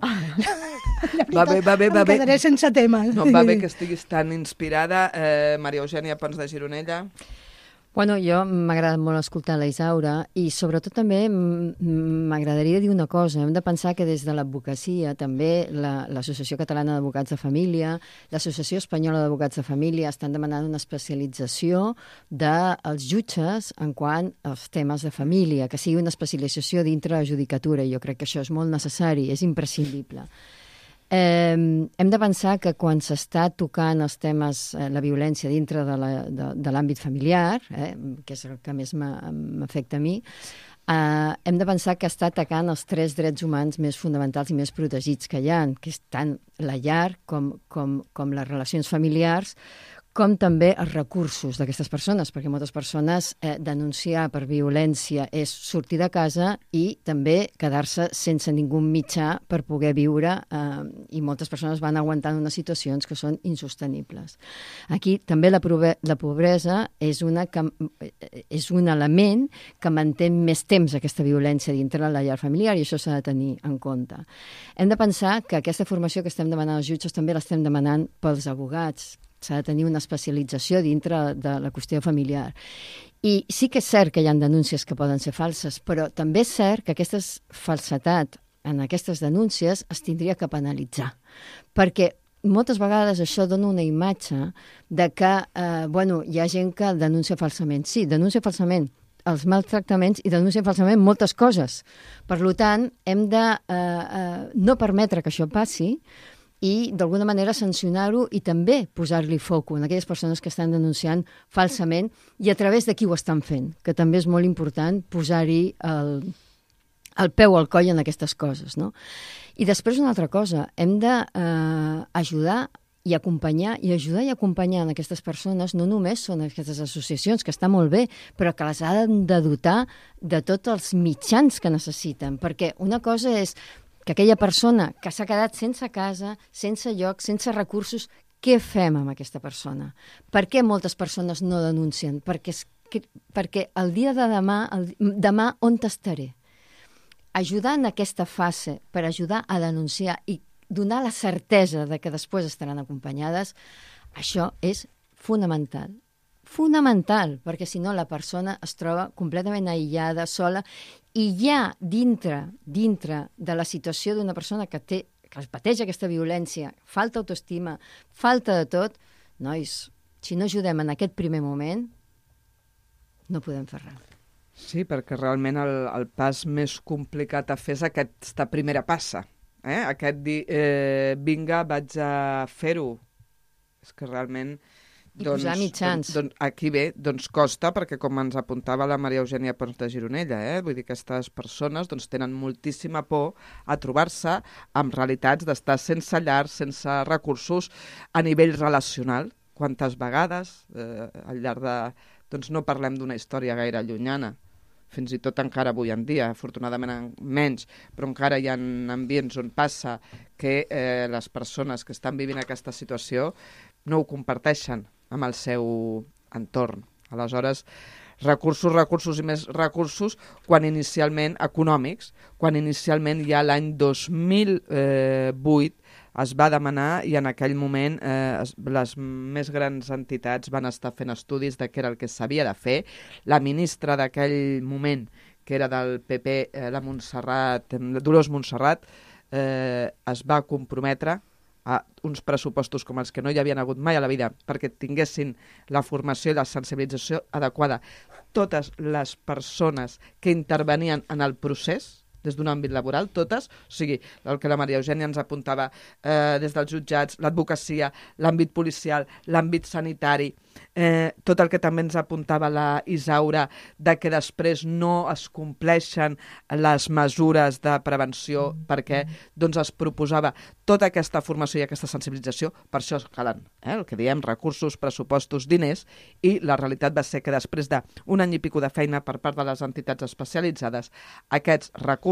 [SPEAKER 2] Va bé.
[SPEAKER 6] Em quedaré sense temes.
[SPEAKER 2] No, va bé que estiguis tan inspirada. Maria Eugènia Pons de Gironella.
[SPEAKER 5] Bueno, jo m'ha agradat molt escoltar la Isaura i sobretot també m'agradaria dir una cosa. Hem de pensar que des de l'advocacia també l'Associació Catalana d'Advocats de Família, l'Associació Espanyola d'Advocats de Família estan demanant una especialització dels jutges en quant als temes de família, que sigui una especialització dintre la judicatura. Jo crec que això és molt necessari, és imprescindible. Hem de pensar que quan s'està tocant els temes, la violència dintre de l'àmbit familiar, que és el que més m'afecta a mi, hem de pensar que està atacant els 3 drets humans més fonamentals i més protegits que hi ha, que és tant la llar com les relacions familiars, com també els recursos d'aquestes persones, perquè moltes persones denunciar per violència és sortir de casa i també quedar-se sense ningú mitjà per poder viure, i moltes persones van aguantant unes situacions que són insostenibles. Aquí també la pobresa és un element que manté més temps aquesta violència dintre la llar familiar i això s'ha de tenir en compte. Hem de pensar que aquesta formació que estem demanant als jutges també l'estem demanant pels advocats. S'ha de tenir una especialització dintre de la qüestió familiar. I sí que és cert que hi ha denúncies que poden ser falses, però també és cert que aquesta falsedat en aquestes denúncies es tindria que penalitzar. Perquè moltes vegades això dona una imatge de que hi ha gent que denuncia falsament. Sí, denuncia falsament els maltractaments i denuncia falsament moltes coses. Per tant, hem de no permetre que això passi i d'alguna manera sancionar-ho i també posar-li foco en aquelles persones que estan denunciant falsament i a través de qui ho estan fent, que també és molt important posar-hi el peu al coll en aquestes coses, no? I després una altra cosa, hem d'ajudar i acompanyar en aquestes persones, no només són aquestes associacions, que està molt bé, però que les han de dotar de tots els mitjans que necessiten, perquè una cosa és que aquella persona que s'ha quedat sense casa, sense lloc, sense recursos, què fem amb aquesta persona? Per què moltes persones no denuncien? Perquè el dia de demà on t'estaré? Ajudar en aquesta fase per ajudar a denunciar i donar la certesa de que després estaran acompanyades, això és fonamental. Fonamental, perquè si no la persona es troba completament aïllada, sola, i ja dintre de la situació d'una persona que pateix aquesta violència, falta autoestima, falta de tot, nois, si no ajudem en aquest primer moment, no podem fer res.
[SPEAKER 2] Sí, perquè realment el pas més complicat a fer és aquesta primera passa. Aquest dir, vinga, vaig a fer-ho. És que realment...
[SPEAKER 5] I posar mitjans.
[SPEAKER 2] Aquí bé, doncs costa, perquè com ens apuntava la Maria Eugènia Pons de Gironella, vull dir que aquestes persones tenen moltíssima por a trobar-se amb realitats d'estar sense llar, sense recursos a nivell relacional. Quantes vegades, al llarg de... Doncs no parlem d'una història gaire llunyana, fins i tot encara avui en dia, afortunadament menys, però encara hi ha ambients on passa que les persones que estan vivint aquesta situació no ho comparteixen amb el seu entorn. Aleshores, recursos i més recursos quan inicialment econòmics, quan inicialment ja l'any 2008 es va demanar i en aquell moment les més grans entitats van estar fent estudis de què era el que s'havia de fer. La ministra d'aquell moment, que era del PP, la Dolors Montserrat, es va comprometre a uns pressupostos com els que no hi havien hagut mai a la vida perquè tinguessin la formació i la sensibilització adequada totes les persones que intervenien en el procés des d'un àmbit laboral, totes, o sigui, el que la Maria Eugènia ens apuntava des dels jutjats, l'advocacia, l'àmbit policial, l'àmbit sanitari, tot el que també ens apuntava la Isaura, de que després no es compleixen les mesures de prevenció perquè doncs, es proposava tota aquesta formació i aquesta sensibilització, per això calen, el que diem, recursos, pressupostos, diners, i la realitat va ser que després d'un any i pico de feina per part de les entitats especialitzades, aquests recursos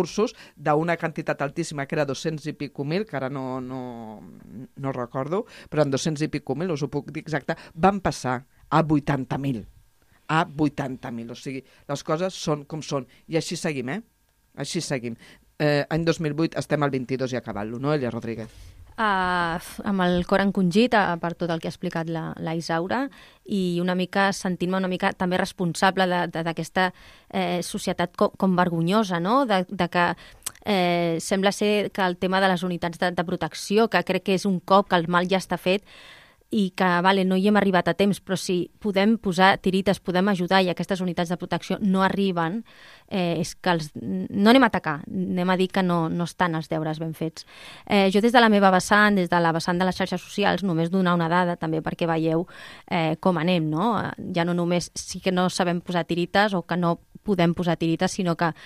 [SPEAKER 2] d'una quantitat altíssima, que era 200 i pico mil, que ara no recordo, però en 200 i pico mil, us ho puc dir exacte, van passar a 80.000. A 80.000. O sigui, les coses són com són. I així seguim, Així seguim. Any 2008 estem al 22 i acabant-lo, no, Elia Rodríguez?
[SPEAKER 4] Amb el cor encongit per tot el que ha explicat la Isaura i una mica sentint-me una mica també responsable d'aquesta societat com vergonyosa, no? De que sembla ser que el tema de les unitats de protecció, que crec que és un cop que el mal ja està fet, i que no hi hem arribat a temps, però si podem posar tirites, podem ajudar i aquestes unitats de protecció no arriben, és que no anem a atacar, anem a dir que no estan els deures ben fets. Jo des de la meva vessant, des de la vessant de les xarxes socials, només donar una dada també perquè veieu com anem, no? Ja no només sí que no sabem posar tirites o que no podem posar tirites, sinó que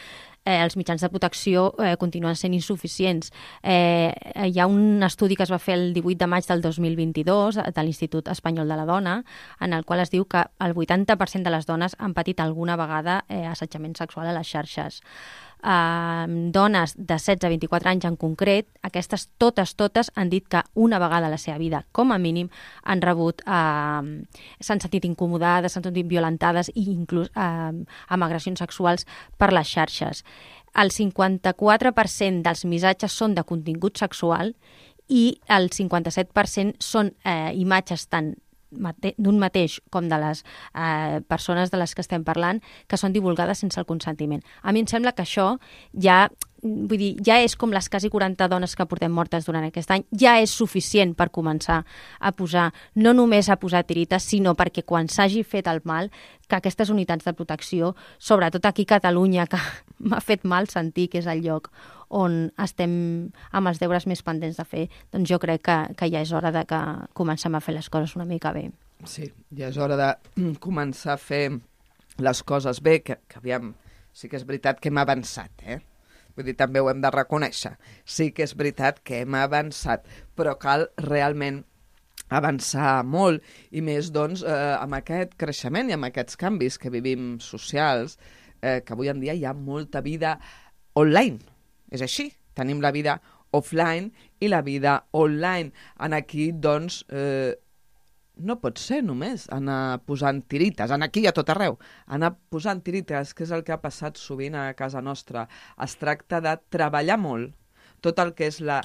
[SPEAKER 4] els mitjans de protecció continuen sent insuficients. Hi ha un estudi que es va fer el 18 de maig del 2022 de l'Institut Espanyol de la Dona, en el qual es diu que el 80% de les dones han patit alguna vegada assetjament sexual a les xarxes. Dones de 16 a 24 anys en concret, aquestes totes han dit que una vegada a la seva vida, com a mínim, han rebut, s'han sentit incomodades, s'han sentit violentades i inclús amb agressions sexuals per les xarxes. El 54% dels missatges són de contingut sexual i el 57% són imatges tant d'un mateix com de les persones de les que estem parlant que són divulgades sense el consentiment. A mi em sembla que això ja és com les quasi 40 dones que portem mortes durant aquest any, ja és suficient per començar a posar, no només a posar tirites, sinó perquè quan s'hagi fet el mal, que aquestes unitats de protecció, sobretot aquí a Catalunya, que m'ha fet mal sentir que és el lloc on estem amb els deures més pendents de fer, doncs jo crec que ja és hora de que comencem a fer les coses una mica bé.
[SPEAKER 2] Sí, ja és hora de començar a fer les coses bé, que aviam, sí que és veritat que hem avançat, Vull dir, també ho hem de reconèixer. Sí que és veritat que hem avançat, però cal realment avançar molt, i més, doncs, amb aquest creixement i amb aquests canvis que vivim socials, que avui en dia hi ha molta vida online. És així, tenim la vida offline i la vida online. En aquí, doncs, no pot ser només anar posant tirites, aquí i a tot arreu, anar posant tirites, que és el que ha passat sovint a casa nostra. Es tracta de treballar molt tot el que és la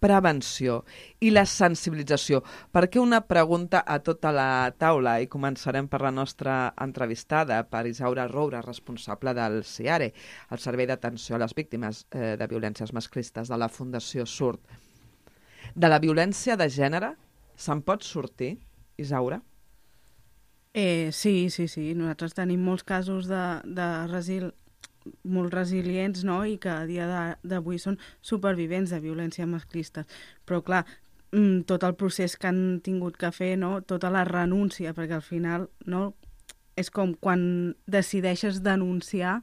[SPEAKER 2] prevenció i la sensibilització. Perquè una pregunta a tota la taula, i començarem per la nostra entrevistada, per Isaura Roura, responsable del CIARE, el Servei d'Atenció a les Víctimes de Violències Masclistes de la Fundació SURT. De la violència de gènere se'n pot sortir, Isaura?
[SPEAKER 3] Sí. Nosaltres tenim molts casos molt resilients, no? I que a dia d'avui són supervivents de violència masclista. Però, clar, tot el procés que han tingut que fer, no? Tota la renúncia, perquè al final, no? És com quan decideixes denunciar,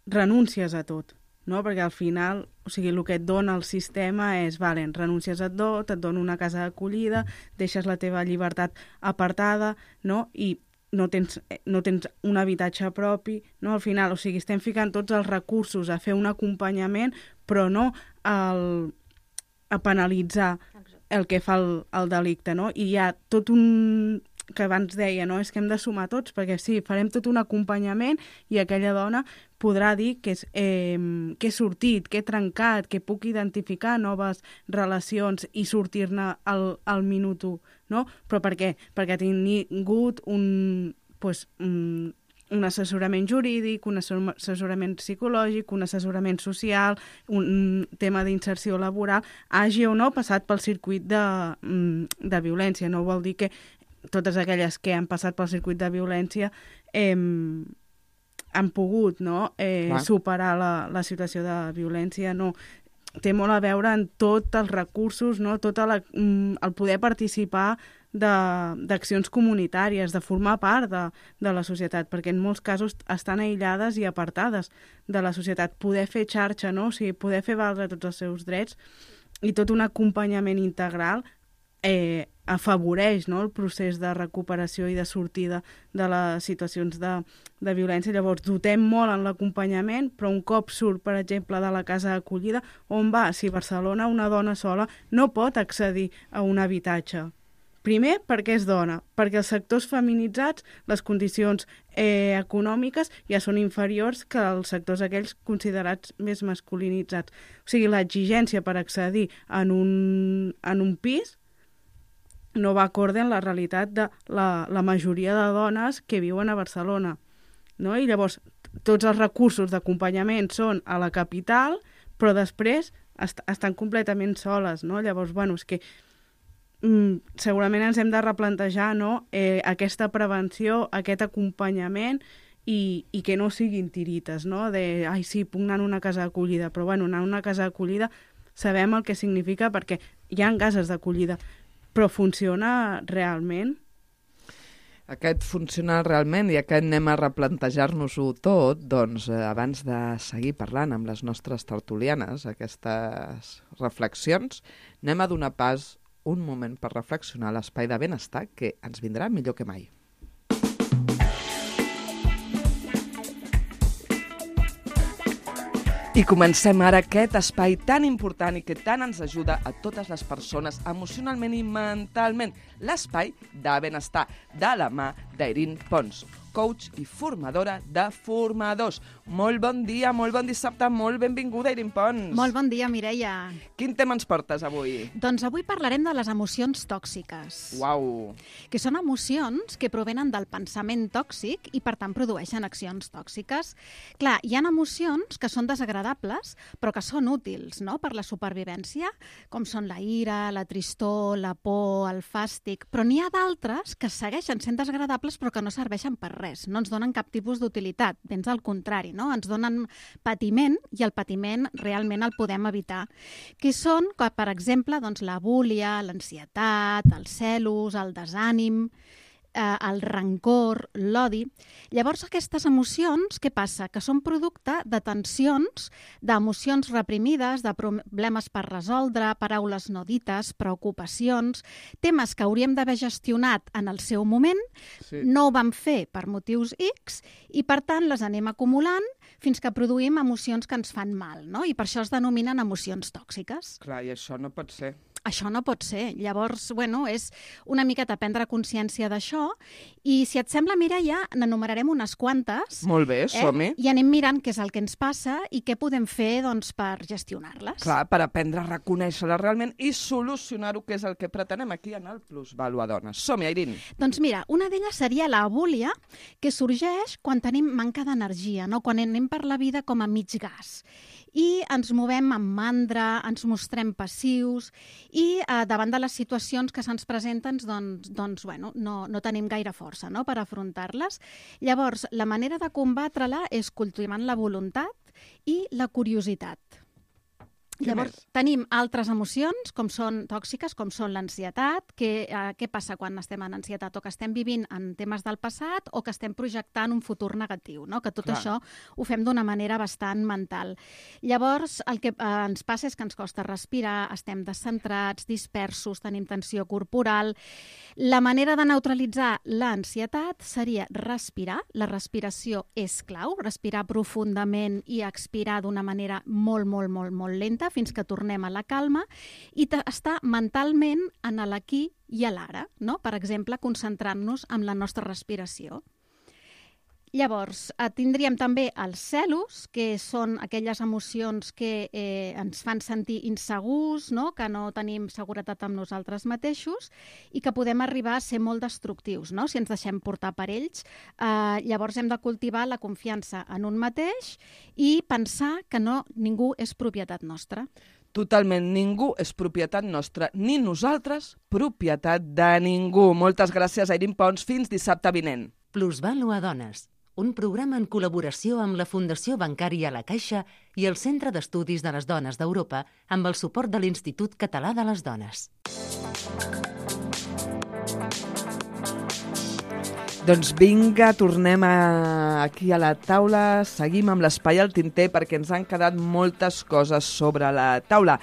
[SPEAKER 3] renúncies a tot, no? Perquè al final, o sigui, el que et dona el sistema és, renúncies a tot, et dona una casa d'acollida, deixes la teva llibertat apartada, no? I no tens un habitatge propi, no? Al final, o sigui, estem ficant tots els recursos a fer un acompanyament, però no a penalitzar el que fa el delicte, no? I hi ha tot un que abans deia, no? És que hem de sumar tots, perquè sí, farem tot un acompanyament i aquella dona podrà dir que he sortit, que he trencat, que puc identificar noves relacions i sortir-ne al minut 1, no? Però per què? Perquè ha tingut un assessorament jurídic, un assessorament psicològic, un assessorament social, un tema d'inserció laboral, hagi o no passat pel circuit de violència. No vol dir que totes aquelles que han passat pel circuit de violència han pogut, no? Superar la situació de violència. No. Té molt a veure en tots els recursos, no? Tot el poder participar d'accions comunitàries, de formar part de la societat, perquè en molts casos estan aïllades i apartades de la societat. Poder fer xarxa, no? O sigui, poder fer valdre tots els seus drets i tot un acompanyament integral afavoreix, no? El procés de recuperació i de sortida de les situacions de violència. Llavors, dotem molt en l'acompanyament, però un cop surt, per exemple, de la casa d'acollida, on va? Si a Barcelona una dona sola no pot accedir a un habitatge. Primer, perquè és dona, perquè els sectors feminitzats, les condicions econòmiques ja són inferiors que els sectors aquells considerats més masculinitzats. O sigui, l'exigència per accedir en un pis no va acorde en la realitat de la majoria de dones que viuen a Barcelona, no? I llavors tots els recursos d'acompanyament són a la capital, però després estan completament soles, no? Llavors, és que segurament ens hem de replantejar, no? Aquesta prevenció, aquest acompanyament i que no siguin tirites, no? Sí, puc anar a una casa d'acollida, però anar a una casa d'acollida sabem el que significa perquè hi ha cases d'acollida, però funciona realment?
[SPEAKER 2] Aquest funciona realment i aquest anem a replantejar-nos-ho tot, doncs abans de seguir parlant amb les nostres tertulianes, aquestes reflexions, anem a donar pas un moment per reflexionar a l'espai de benestar que ens vindrà millor que mai. I comencem ara aquest espai tan important i que tant ens ajuda a totes les persones emocionalment i mentalment, l'espai de benestar, de la mà d'Erin Pons, coach i formadora de formadors. Molt bon dia, molt bon dissabte, molt benvinguda, Erin Pons.
[SPEAKER 7] Molt bon dia, Mireia.
[SPEAKER 2] Quin tema ens portes avui?
[SPEAKER 7] Doncs avui parlarem de les emocions tòxiques.
[SPEAKER 2] Uau!
[SPEAKER 7] Que són emocions que provenen del pensament tòxic i, per tant, produeixen accions tòxiques. Clar, hi ha emocions que són desagradables, però que són útils, no?, per la supervivència, com són la ira, la tristor, la por, el fàstic, però n'hi ha d'altres que segueixen sent desagradables però que no serveixen per res, no ens donen cap tipus d'utilitat, ben al contrari, no? Ens donen patiment i el patiment realment el podem evitar. Que són, per exemple, doncs, la búlia, l'ansietat, els celos, el desànim, el rancor, l'odi. Llavors, aquestes emocions, què passa? Que són producte de tensions, d'emocions reprimides, de problemes per resoldre, paraules no dites, preocupacions, temes que hauríem d'haver gestionat en el seu moment, sí. No ho vam fer per motius X i, per tant, les anem acumulant fins que produïm emocions que ens fan mal, no? I per això es denominen emocions tòxiques.
[SPEAKER 2] Clar, i això no pot ser.
[SPEAKER 7] Això no pot ser. Llavors, és una miqueta prendre consciència d'això i, si et sembla, Mireia, n'enumerarem unes quantes.
[SPEAKER 2] Molt bé, som-hi.
[SPEAKER 7] I anem mirant què és el que ens passa i què podem fer, doncs, per gestionar-les.
[SPEAKER 2] Clar, per aprendre a reconèixer-les realment i solucionar-ho, que és el que pretenem aquí en el Plusvàlua Dones. Som-hi, Erin.
[SPEAKER 7] Doncs mira, una d'elles seria la búlia, que sorgeix quan tenim manca d'energia, no? Quan anem per la vida com a mig gas. i ens movem amb mandra, ens mostrem passius i davant de les situacions que se'ns presenten no tenim gaire força, no?, per afrontar-les. Llavors, la manera de combatre-la és cultivant la voluntat i la curiositat. Llavors, tenim altres emocions com són tòxiques, com són l'ansietat. Què passa quan estem en ansietat? O que estem vivint en temes del passat o que estem projectant un futur negatiu, no? Que tot això ho fem d'una manera bastant mental. Llavors, el que ens passa és que ens costa respirar, estem descentrats, dispersos, tenim tensió corporal. La manera de neutralitzar l'ansietat seria respirar. La respiració és clau, respirar profundament i expirar d'una manera molt, molt, molt, molt lenta fins que tornem a la calma i estar mentalment en l'aquí i a l'ara, no? Per exemple, concentrant-nos en la nostra respiració. Llavors, tindríem també els celos, que són aquelles emocions que ens fan sentir insegurs, no? Que no tenim seguretat amb nosaltres mateixos i que podem arribar a ser molt destructius, no? Si ens deixem portar per ells. Llavors hem de cultivar la confiança en un mateix i pensar que ningú és propietat nostra.
[SPEAKER 2] Totalment, ningú és propietat nostra, ni nosaltres propietat de ningú. Moltes gràcies, Airín Pons. Fins dissabte vinent.
[SPEAKER 1] Plusvàlua Dones, un programa en col·laboració amb la Fundació Bancària La Caixa i el Centre d'Estudis de les Dones d'Europa amb el suport de l'Institut Català de les Dones.
[SPEAKER 2] Doncs vinga, tornem aquí a la taula, seguim amb l'espai al tinter perquè ens han quedat moltes coses sobre la taula.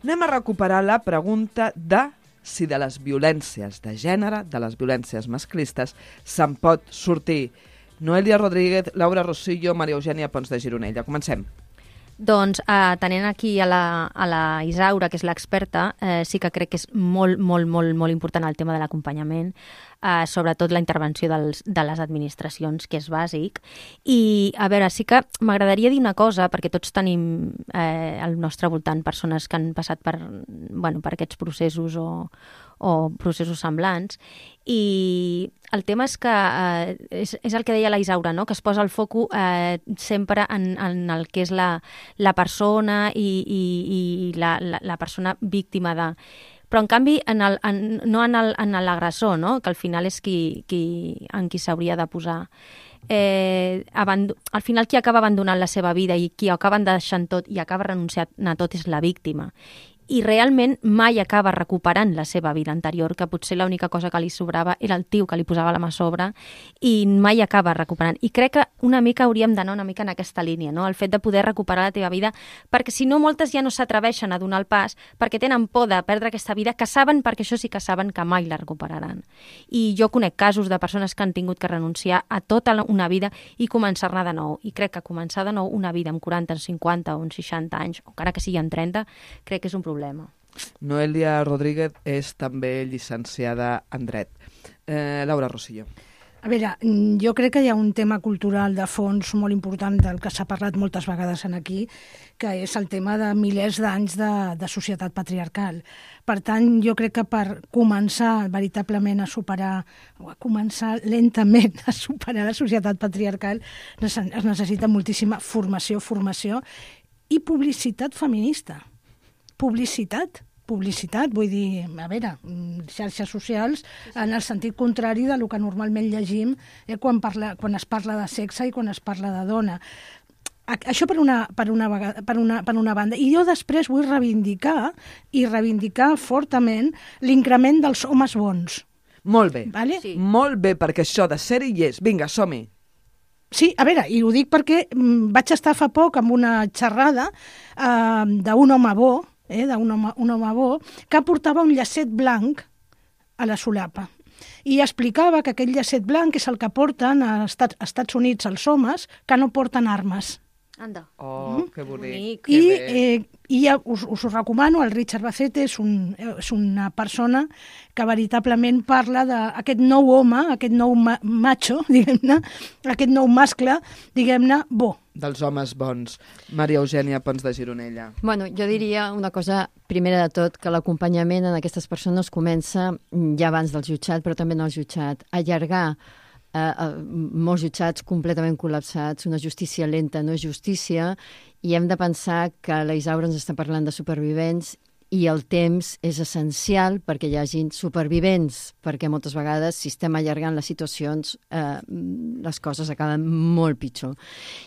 [SPEAKER 2] Anem a recuperar la pregunta de si de les violències de gènere, de les violències masclistes, se'n pot sortir. Noelia Rodríguez, Laura Rosillo, Maria Eugènia Pons de Gironella. Comencem.
[SPEAKER 4] Doncs, tenint aquí a la Isaura, que és l'experta, sí que crec que és molt, molt, molt, molt important el tema de l'acompanyament, sobretot la intervenció de les administracions, que és bàsic. I, a veure, sí que m'agradaria dir una cosa, perquè tots tenim al nostre voltant persones que han passat per aquests processos o processos semblants, i el tema és que és el que deia la Isaura, no? Que es posa el foco sempre en el que és la persona i la persona víctima de... Però, en canvi, no en l'agressor, no? Que al final és en qui s'hauria de posar. Al final, qui acaba abandonant la seva vida i qui acaba deixant tot i acaba renunciant a tot és la víctima. I realment mai acaba recuperant la seva vida anterior, que potser l'única cosa que li sobrava era el tio que li posava la mà a sobre, i mai acaba recuperant. I crec que una mica hauríem d'anar una mica en aquesta línia, no? El fet de poder recuperar la teva vida, perquè si no, moltes ja no s'atreveixen a donar el pas, perquè tenen por de perdre aquesta vida, que saben, perquè això sí que saben que mai la recuperaran. I jo conec casos de persones que han tingut que renunciar a tota una vida i començar-ne de nou. I crec que començar de nou una vida amb 40, 50 o 60 anys, o encara que sigui amb 30, crec que és un problema.
[SPEAKER 2] Noelia Rodríguez és també llicenciada en dret. Laura Rosillo.
[SPEAKER 6] A veure, jo crec que hi ha un tema cultural de fons molt important del que s'ha parlat moltes vegades aquí, que és el tema de milers d'anys de societat patriarcal. Per tant, jo crec que per començar veritablement a superar, o a començar lentament a superar la societat patriarcal, es necessita moltíssima formació i publicitat feminista. Publicitat, vull dir, a veure, xarxes socials en el sentit contrari del que normalment llegim quan es parla de sexe i quan es parla de dona. Això per una banda. I jo després vull reivindicar fortament l'increment dels homes bons.
[SPEAKER 2] Molt bé,
[SPEAKER 6] vale?
[SPEAKER 2] Sí. Molt bé, perquè això de ser-hi hi és. Vinga, som-hi.
[SPEAKER 6] Sí, a veure, i ho dic perquè vaig estar fa poc amb una xerrada d'un home bo, un home bo, que portava un llacet blanc a la solapa. I explicava que aquest llacet blanc és el que porten als Estats Units els homes que no porten armes.
[SPEAKER 4] Anda.
[SPEAKER 2] Oh, que bonic.
[SPEAKER 6] I ja us ho recomano, el Richard Bacete és una persona que veritablement parla d'aquest nou home, aquest nou macho, diguem-ne, aquest nou mascle, diguem-ne, bo.
[SPEAKER 2] Dels homes bons. Maria Eugènia Pons de Gironella.
[SPEAKER 5] Bueno, jo diria una cosa, primera de tot, que l'acompanyament en aquestes persones comença ja abans del jutjat, però també en el jutjat. Allargar molts jutjats completament col·lapsats, una justícia lenta no és justícia, i hem de pensar que la Isaura ens està parlant de supervivents i el temps és essencial perquè hi hagin supervivents, perquè moltes vegades, si estem allargant les situacions, les coses acaben molt pitjor.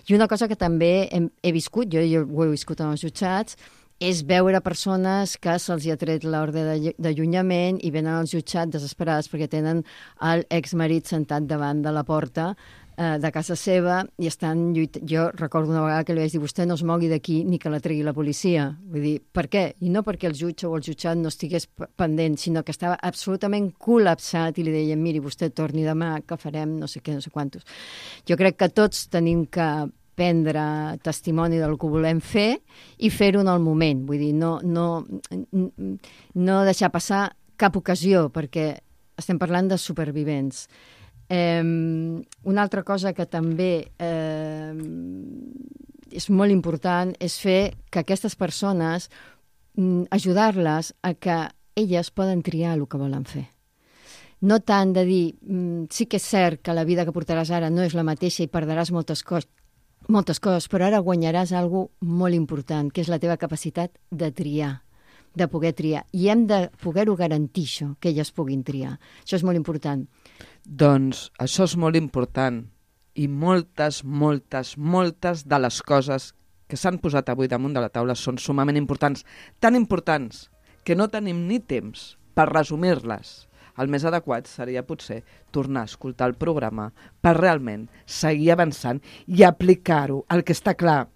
[SPEAKER 5] I una cosa que també he viscut, jo ho he viscut en els jutjats, és veure persones que se'ls ha tret l'ordre d'allunyament i venen als jutjats desesperades perquè tenen l'exmarit sentat davant de la porta de casa seva i estan lluitant. Jo recordo una vegada que li vaig dir vostè no es mogui d'aquí ni que la tregui la policia. Vull dir, per què? I no perquè el jutge o el jutjat no estigués pendent, sinó que estava absolutament col·lapsat i li deien, miri, vostè torni demà, que farem no sé què, no sé quantos. Jo crec que tots tenim que prendre testimoni del que volem fer i fer-ho en el moment. Vull dir, no deixar passar cap ocasió, perquè estem parlant de supervivents. Una altra cosa que també és molt important és fer que aquestes persones, ajudar-les a que elles poden triar el que volen fer. No tant de dir, sí que és cert que la vida que portaràs ara no és la mateixa i perdràs moltes coses, però ara guanyaràs alguna cosa molt important, que és la teva capacitat de triar, de poder triar. I hem de poder-ho garantir, això, que elles puguin triar. Això és molt important.
[SPEAKER 2] Doncs això és molt important i moltes de les coses que s'han posat avui damunt de la taula són sumament importants, tan importants que no tenim ni temps per resumir-les. El més adequat seria potser tornar a escoltar el programa per realment seguir avançant i aplicar-ho. El que està clar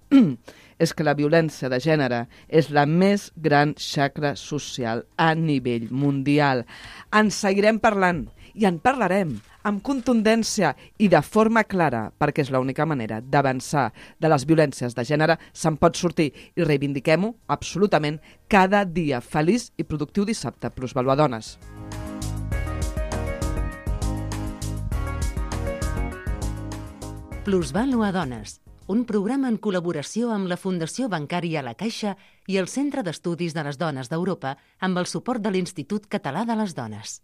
[SPEAKER 2] és que la violència de gènere és la més gran xacra social a nivell mundial. En seguirem parlant i en parlarem amb contundència i de forma clara, perquè és l'única manera d'avançar de les violències de gènere. Se'n pot sortir i reivindiquem-ho absolutament cada dia. Feliç i productiu dissabte. Plusvàlua Dones.
[SPEAKER 1] Plusvàlua Dones, un programa en col·laboració amb la Fundació Bancària La Caixa i el Centre d'Estudis de les Dones d'Europa amb el suport de l'Institut Català de les Dones.